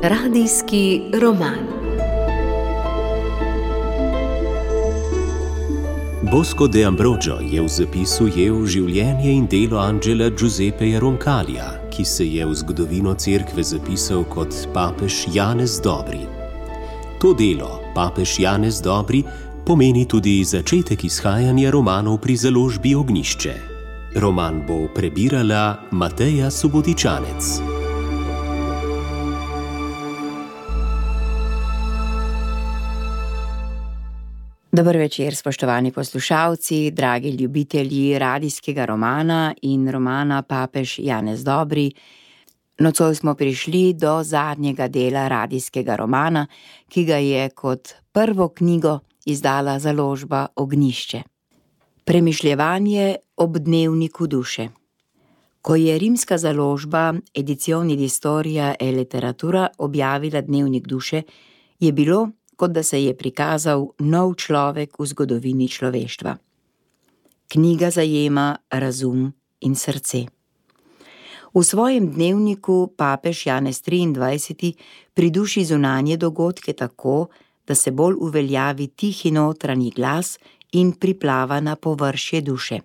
Radijski roman. Bosco de Ambrogio je v zapisu ujel življenje in delo Angela Giuseppeja Roncalija, ki se je v zgodovino cerkve zapisal kot papež Janez Dobri. To delo, papež Janez Dobri, pomeni tudi začetek izhajanja romanov pri založbi Ognjišče. Roman bo prebirala Mateja Subotičanec. Dober večer, spoštovani poslušalci, dragi ljubitelji radijskega romana in romana Papež Janez Dobri. Nocoj smo prišli do zadnjega dela radijskega romana, ki ga je kot prvo knjigo izdala založba Ognjišče. Premišljevanje ob dnevniku duše. Ko je rimska založba Edizioni di Storia e Letteratura objavila dnevnik duše, je bilo, kot da se je prikazal nov človek v zgodovini človeštva. Knjiga zajema razum in srce. V svojem dnevniku papež Janez 23. priduši zunanje dogodke tako, da se bolj uveljavi tihi notranji glas in priplava na površje duše.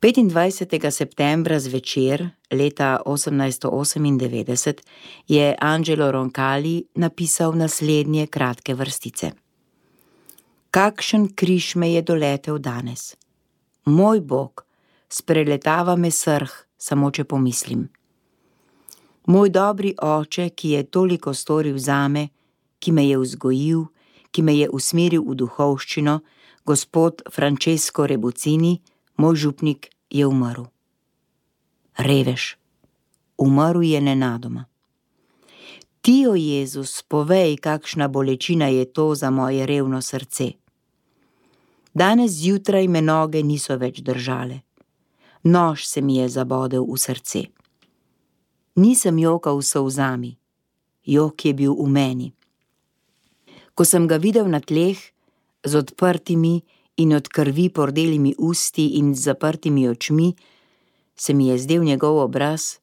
25. septembra zvečer leta 1898 je Angelo Roncalli napisal naslednje kratke vrstice. Kakšen križ me je doletel danes. Moj Bog, spreletava me srh, samo če pomislim. Moj dobri oče, ki je toliko storil zame, ki me je vzgojil, ki me je usmeril v duhovščino, gospod Francesco Rebuccini, moj župnik, je umrl. Revež, umrl je nenadoma. Ti, o Jezus, povej, kakšna bolečina je to za moje revno srce. Danes zjutraj me noge niso več držale. Nož se mi je zabodel v srce. Nisem jokal s solzami, jok je bil v meni. Ko sem ga videl na tleh, z odprtimi in od krvi pordelimi usti in z zaprtimi očmi, se mi je zdel njegov obraz,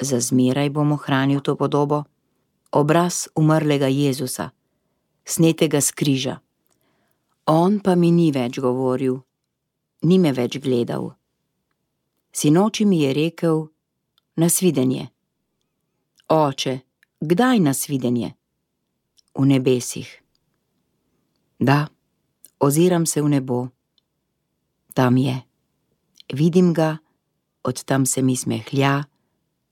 za zmeraj bom ohranil to podobo, obraz umrlega Jezusa, snetega s križa. On pa mi ni več govoril, ni me več gledal. Sinoči mi je rekel, nasvidenje. Oče, kdaj nasvidenje? V nebesih. Da, oziram se v nebo. Tam je. Vidim ga, od tam se mi smehlja,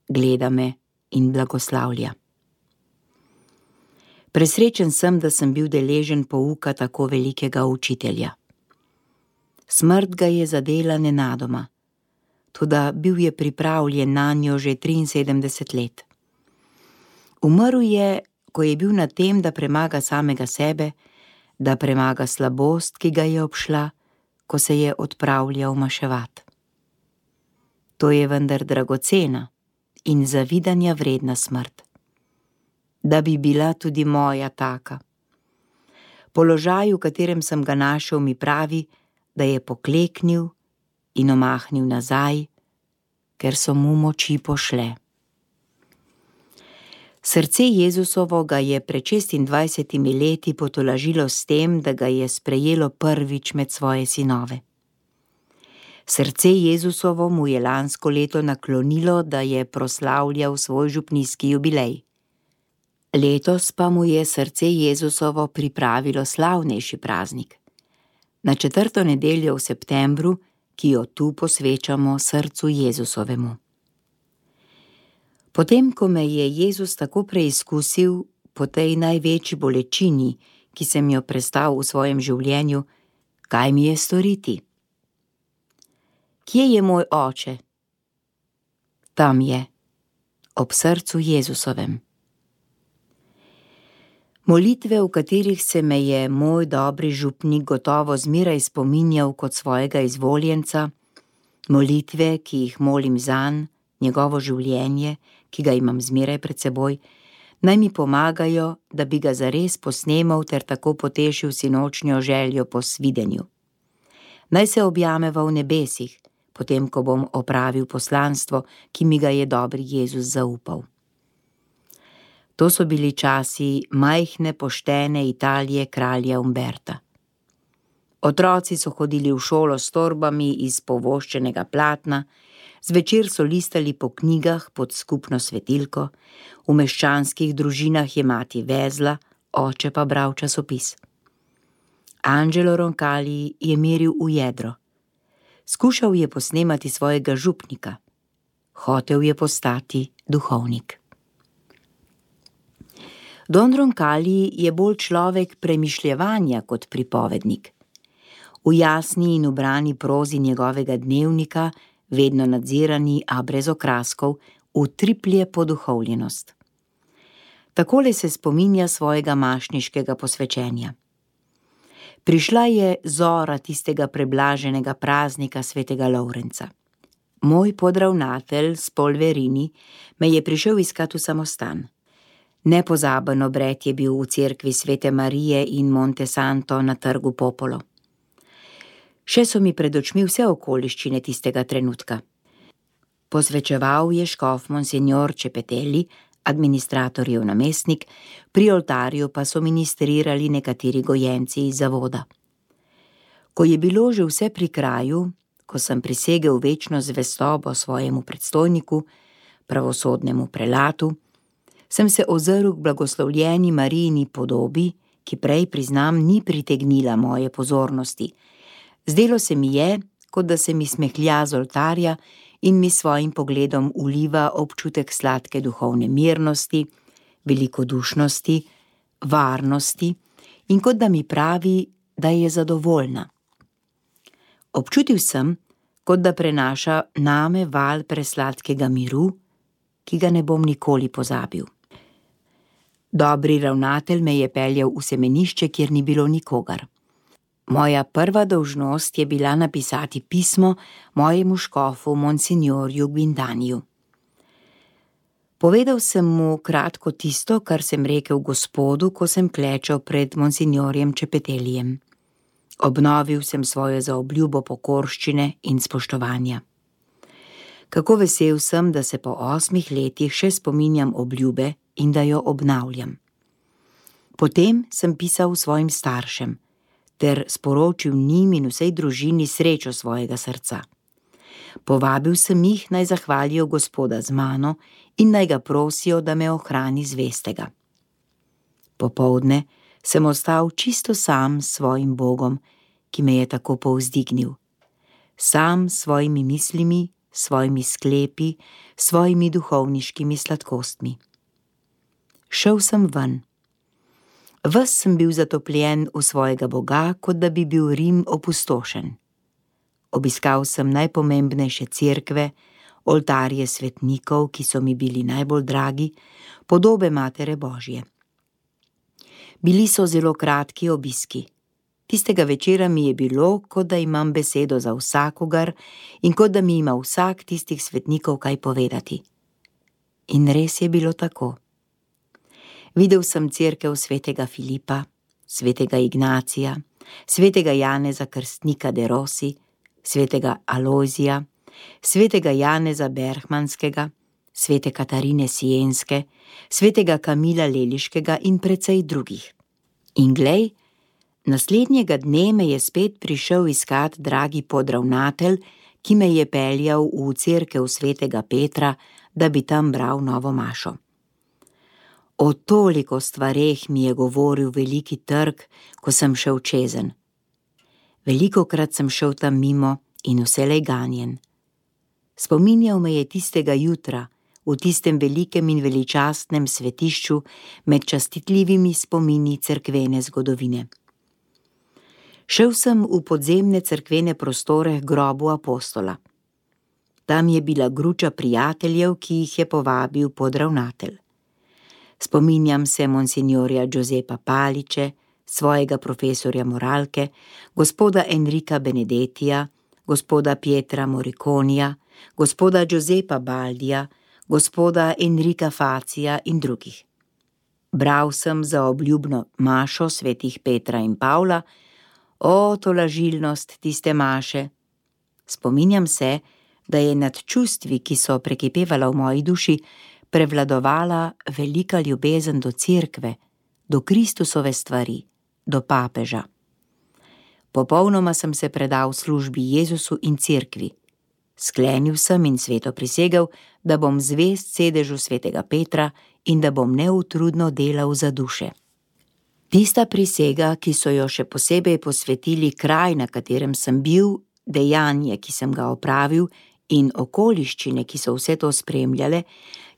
gleda me in blagoslavlja. Presrečen sem, da sem bil deležen pouka tako velikega učitelja. Smrt ga je zadela nenadoma, toda bil je pripravljen nanjo že 73 let. Umrl je, ko je bil na tem, da premaga samega sebe, da premaga slabost, ki ga je obšla, ko se je odpravljal maševat. To je vendar dragocena in zavidanja vredna smrt. Da bi bila tudi moja taka. Položaj, v katerem sem ga našel, mi pravi, da je pokleknil in omahnil nazaj, ker so mu moči pošle. Srce Jezusovo ga je pred 26 leti potolažilo s tem, da ga je sprejelo prvič med svoje sinove. Srce Jezusovo mu je lansko leto naklonilo, da je proslavljal svoj župnijski jubilej. Letos pa mu je srce Jezusovo pripravilo slavnejši praznik. Na 4. nedeljo v septembru, ki jo tu posvečamo srcu Jezusovemu. Potem, ko me je Jezus tako preizkusil po tej največji bolečini, ki sem jo prestal v svojem življenju, kaj mi je storiti? Kje je moj oče? Tam je, ob srcu Jezusovem. Molitve, v katerih se me je moj dobri župnik gotovo zmeraj spominjal kot svojega izvoljenca, molitve, ki jih molim zanj, njegovo življenje, ki ga imam zmeraj pred seboj, naj mi pomagajo, da bi ga zares posnemal ter tako potešil sinočnjo željo po svidenju. Naj se objameva v nebesih, potem ko bom opravil poslanstvo, ki mi ga je dobri Jezus zaupal. To so bili časi majhne, poštene Italije kralja Umberta. Otroci so hodili v šolo s torbami iz povoščenega platna, zvečer so listali po knjigah pod skupno svetilko, v meščanskih družinah je mati vezla, oče pa bral časopis. Angelo Roncalli je meril v jedro. Skušal je posnemati svojega župnika. Hotel je postati duhovnik. Don Roncalli je bolj človek premišljevanja kot pripovednik. V jasni in ubrani prozi njegovega dnevnika, vedno nadzirani, a brez okraskov, utriplje poduhovljenost. Takole se spominja svojega mašniškega posvečenja. Prišla je zora tistega preblaženega praznika svetega Lovrenca. Moj podravnatelj s Polverini me je prišel iskat v samostan. Nepozaben obred je bil v cerkvi Svete Marije in Monte Santo na trgu Popolo. Še so mi pred očmi vse okoliščine tistega trenutka. Posvečeval je škof monsignor Cepetelli, administratorjev namestnik, pri oltarju pa so ministrirali nekateri gojenci iz zavoda. Ko je bilo že vse pri kraju, ko sem prisegel večno zvestobo svojemu predstojniku, pravosodnemu prelatu, sem se ozrl k blagoslovljeni Marijini podobi, ki prej, priznam, ni pritegnila moje pozornosti. Zdelo se mi je, kot da se mi smehlja z oltarja in mi svojim pogledom vliva občutek sladke duhovne mirnosti, velikodušnosti, varnosti in kot da mi pravi, da je zadovoljna. Občutil sem, kot da prenaša name val presladkega miru, ki ga ne bom nikoli pozabil. Dobri ravnatelj me je peljal v semenišče, kjer ni bilo nikogar. Moja prva dolžnost je bila napisati pismo mojemu škofu monsignorju Guindaniju. Povedal sem mu kratko tisto, kar sem rekel gospodu, ko sem klečal pred monsignorjem Cepetelijem. Obnovil sem svojo zaobljubo pokorščine in spoštovanja. Kako vesel sem, da se po 8 letih še spominjam obljube in da jo obnavljam. Potem sem pisal svojim staršem ter sporočil njim in vsej družini srečo svojega srca. Povabil sem jih, naj zahvalijo gospoda z mano in naj ga prosijo, da me ohrani zvestega. Popoldne sem ostal čisto sam s svojim Bogom, ki me je tako povzdignil. Sam s svojimi mislimi, svojimi sklepi, svojimi duhovniškimi sladkostmi. Šel sem ven. Ves sem bil zatopljen v svojega Boga, kot da bi bil Rim opustošen. Obiskal sem najpomembnejše cerkve, oltarje svetnikov, ki so mi bili najbolj dragi, podobe Matere Božje. Bili so zelo kratki obiski. Tistega večera mi je bilo, kot da imam besedo za vsakogar in kot da mi ima vsak tistih svetnikov kaj povedati. In res je bilo tako. Videl sem cerkev svetega Filipa, svetega Ignacija, svetega Janeza Krstnika de Rossi, svetega Alojzija, svetega Janeza Berhmanskega, svete Katarine Sienske, svetega Kamila Leliškega in precej drugih. In glej, naslednjega dne me je spet prišel iskat dragi podravnatelj, ki me je peljal v cerkev svetega Petra, da bi tam bral novo mašo. O toliko stvareh mi je govoril veliki trg, ko sem šel čezen. Velikokrat sem šel tam mimo in vselej ganjen. Spominjal me je tistega jutra, v tistem velikem in veličastnem svetišču med častitljivimi spomini cerkvene zgodovine. Šel sem v podzemne cerkvene prostore k grobu apostola. Tam je bila gruča prijateljev, ki jih je povabil podravnatelj. Spominjam se monsignorja Giuseppa Paliče, svojega profesorja moralke, gospoda Enrika Benedettija, gospoda Pietra Moriconija, gospoda Giuseppa Baldija, gospoda Enrika Facija in drugih. Bral sem za obljubno mašo svetih Petra in Pavla, O, tolažilnost tiste maše! Spominjam se, da je nad čustvi, ki so prekipevala v moji duši, prevladovala velika ljubezen do cerkve, do Kristusove stvari, do papeža. Popolnoma sem se predal službi Jezusu in cerkvi. Sklenil sem in sveto prisegel, da bom zvest sedežu svetega Petra in da bom neutrudno delal za duše. Tista prisega, ki so jo še posebej posvetili kraj, na katerem sem bil, dejanje, ki sem ga opravil, in okoliščine, ki so vse to spremljale,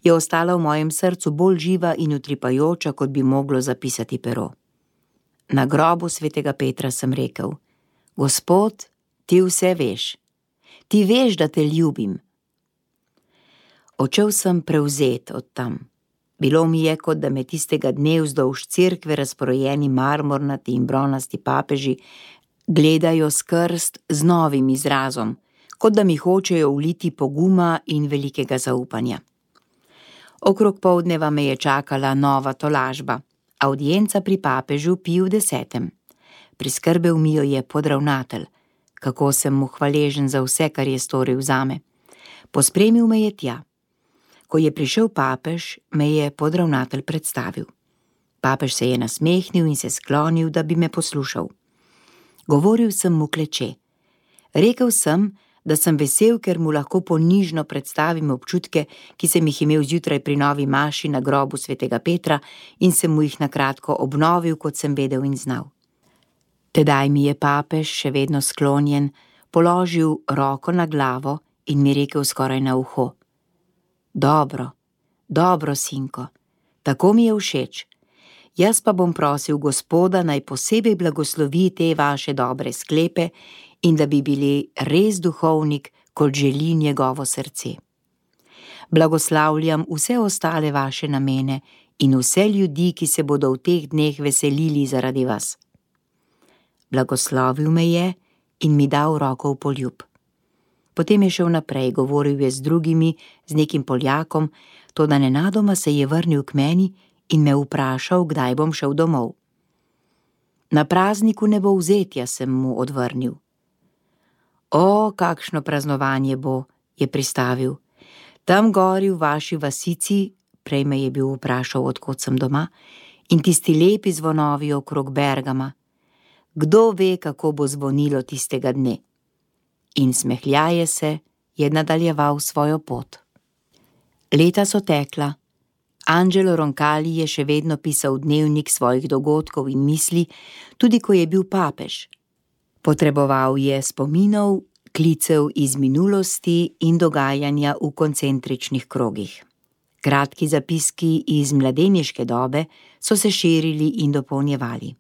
je ostala v mojem srcu bolj živa in utripajoča, kot bi moglo zapisati pero. Na grobu svetega Petra sem rekel: Gospod, ti vse veš. Ti veš, da te ljubim. Odšel sem prevzet od tam. Bilo mi je, kot da me tistega dne vzdolž cerkve razporejeni marmornati in bronasti papeži gledajo s krst z novim izrazom, kot da mi hočejo vliti poguma in velikega zaupanja. Okrog poldneva me je čakala nova tolažba, avdienca pri papežu Piju X. Priskrbel mi jo je podravnatelj, kako sem mu hvaležen za vse, kar je storil zame. Pospremil me je tja. Ko je prišel papež, me je podravnatelj predstavil. Papež se je nasmehnil in se sklonil, da bi me poslušal. Govoril sem mu kleče. Rekel sem, da sem vesel, ker mu lahko ponižno predstavim občutke, ki sem jih imel zjutraj pri novi maši na grobu svetega Petra in sem mu jih na kratko obnovil, kot sem vedel in znal. Tedaj mi je papež, še vedno sklonjen, položil roko na glavo in mi rekel skoraj na uho: Dobro, dobro, sinko, tako mi je všeč. Jaz pa bom prosil Gospoda, naj posebej blagoslovi te vaše dobre sklepe in da bi bili res duhovnik, kot želi njegovo srce. Blagoslavljam vse ostale vaše namene in vse ljudi, ki se bodo v teh dneh veselili zaradi vas. Blagoslovil me je in mi dal roko v poljub. Potem je šel naprej, govoril je z drugimi, z nekim Poljakom, toda nenadoma se je vrnil k meni in me vprašal, kdaj bom šel domov. Na prazniku nebovzetja, sem mu odvrnil. O, kakšno praznovanje bo, je pristavil. Tam gori v vaši vasici, prej me je bil vprašal, odkot sem doma, in tisti lepi zvonovi okrog Bergama. Kdo ve, kako bo zvonilo tistega dne? In smehljaje se je nadaljeval svojo pot. Leta so tekla. Angelo Roncalli je še vedno pisal dnevnik svojih dogodkov in misli, tudi ko je bil papež. Potreboval je spominov, klicev iz minulosti in dogajanja v koncentričnih krogih. Kratki zapiski iz mladeniške dobe so se širili in dopolnjevali.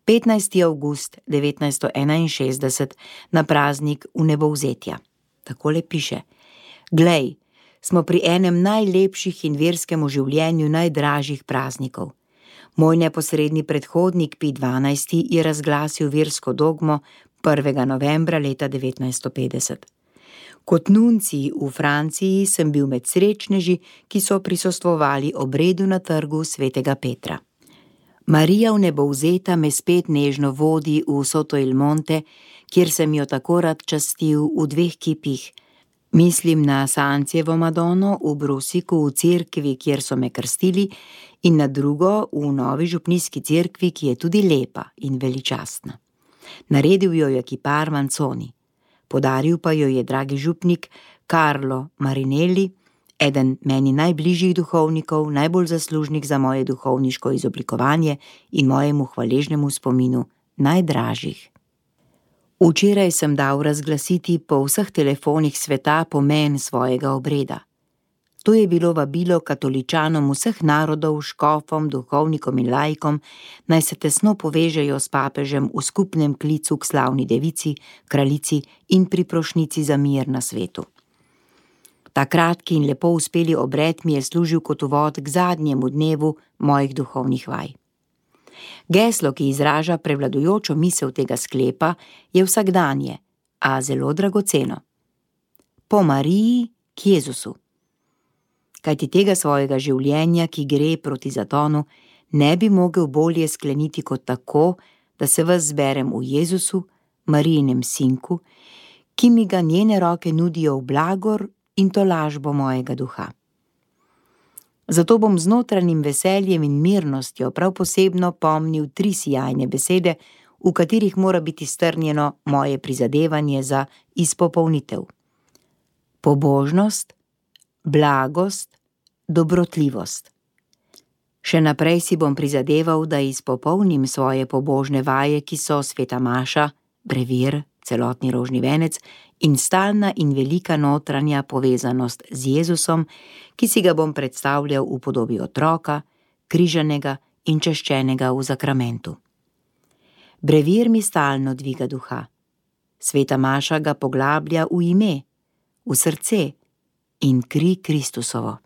15. avgust 1961 na praznik vnebovzetja. Takole piše: Glej, smo pri enem najlepših in verskemu življenju najdražjih praznikov. Moj neposredni predhodnik Pij XII je razglasil versko dogmo 1. novembra leta 1950. Kot nuncij v Franciji sem bil med srečneži, ki so prisostvovali obredu na trgu svetega Petra. Marija vnebovzeta me spet nežno vodi v Soto il Monte, kjer sem jo tako rad častil v 2 kipih. Mislim na Sancijevo Madono v Brusiku v cerkvi, kjer so me krstili, in na drugo v novi župnijski cerkvi, ki je tudi lepa in veličastna. Naredil jo je kipar Manzoni. Podaril pa jo je dragi župnik Carlo Marinelli, eden meni najbližjih duhovnikov, najbolj zaslužnih za moje duhovniško izoblikovanje in mojemu hvaležnemu spominu najdražjih. Včeraj sem dal razglasiti po vseh telefonih sveta pomen svojega obreda. To je bilo vabilo katoličanom vseh narodov, škofom, duhovnikom in laikom, naj se tesno povežejo s papežem v skupnem klicu k slavni devici, kraljici in priprošnjici za mir na svetu. Ta kratki in lepo uspeli obred mi je služil kot uvod k zadnjemu dnevu mojih duhovnih vaj. Geslo, ki izraža prevladujočo misel tega sklepa, je vsakdanje, a zelo dragoceno. Po Mariji k Jezusu. Kajti tega svojega življenja, ki gre proti zatonu, ne bi mogel bolje skleniti kot tako, da se vas zberem v Jezusu, Marijinem sinku, ki mi ga njene roke nudijo v blagor in tolažbo mojega duha. Zato bom z notranjim veseljem in mirnostjo prav posebno pomnil 3 sijajne besede, v katerih mora biti strnjeno moje prizadevanje za izpopolnitev. Pobožnost, blagost, dobrotljivost. Še naprej si bom prizadeval, da izpopolnim svoje pobožne vaje, ki so sveta maša, brevir, celotni rožni venec in stalna in velika notranja povezanost z Jezusom, ki si ga bom predstavljal v podobi otroka, križanega in čaščenega v zakramentu. Brevir mi stalno dviga duha. Sveta maša ga poglablja v ime, v srce in kri Kristusovo.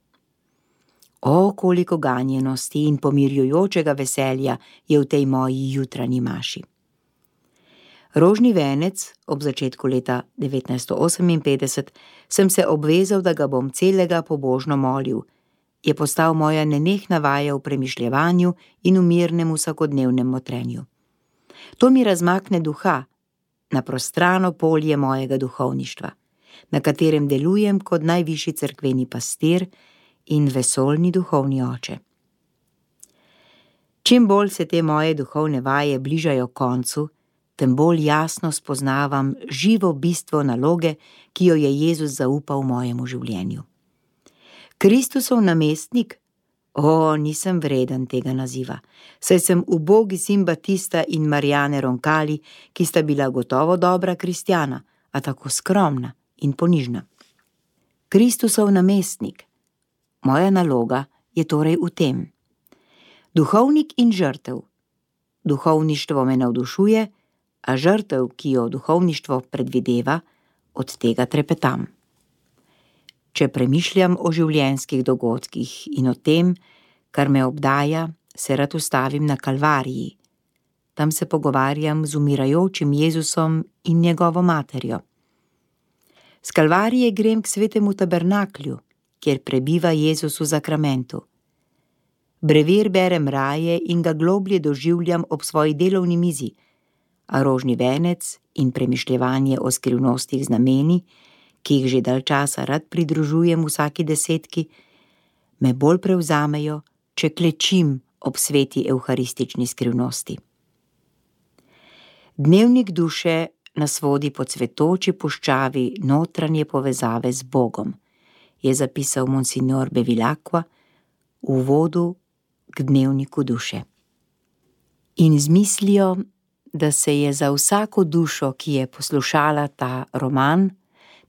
O, koliko ganjenosti in pomirjujočega veselja je v tej moji jutranji maši. Rožni venec, ob začetku leta 1958, sem se obvezal, da ga bom celega pobožno molil, je postal moja nenehna vaja v premišljevanju in v mirnem vsakodnevnem motrenju. To mi razmakne duha na prostrano polje mojega duhovništva, na katerem delujem kot najvišji cerkveni pastir in vesoljni duhovni oče. Čim bolj se te moje duhovne vaje bližajo koncu, tem bolj jasno spoznavam živo bistvo naloge, ki jo je Jezus zaupal mojemu življenju. Kristusov namestnik? O, nisem vreden tega naziva, saj sem ubogi sin Batista in Marijane Roncalli, ki sta bila gotovo dobra kristjana, a tako skromna in ponižna. Kristusov namestnik. Moja naloga je torej v tem. Duhovnik in žrtev. Duhovništvo me navdušuje, a žrtev, ki jo duhovništvo predvideva, od tega trepetam. Če premišljam o življenjskih dogodkih in o tem, kar me obdaja, se rad ustavim na Kalvariji. Tam se pogovarjam z umirajočim Jezusom in njegovo materjo. S Kalvarije grem k svetemu tabernaklju, kjer prebiva Jezus v zakramentu. Brevir berem raje in ga globlje doživljam ob svoji delovni mizi, a rožni venec in premišljevanje o skrivnostih znameni, ki jih že dalj časa rad pridružujem vsaki desetki, me bolj prevzamejo, če klečim ob sveti evharistični skrivnosti. Dnevnik duše nas vodi po cvetoči puščavi notranje povezave z Bogom, je zapisal monsignor Bevilacqua v uvodu k dnevniku duše. In z mislijo, da se je za vsako dušo, ki je poslušala ta roman,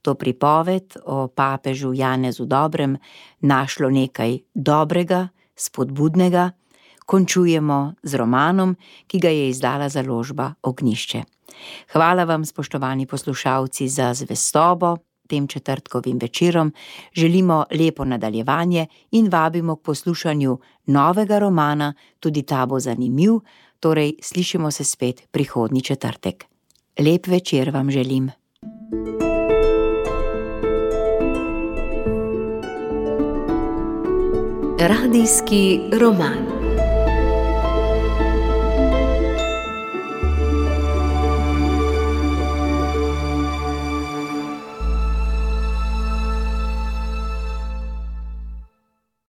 to pripoved o papežu Janezu Dobrem, našlo nekaj dobrega, spodbudnega, končujemo z romanom, ki ga je izdala založba Ognjišče. Hvala vam, spoštovani poslušalci, za zvestobo tem četrtkovim večerom, želimo lepo nadaljevanje in vabimo k poslušanju novega romana, tudi ta bo zanimiv, torej slišimo se spet prihodnji četrtek. Lep večer vam želim. Radijski roman.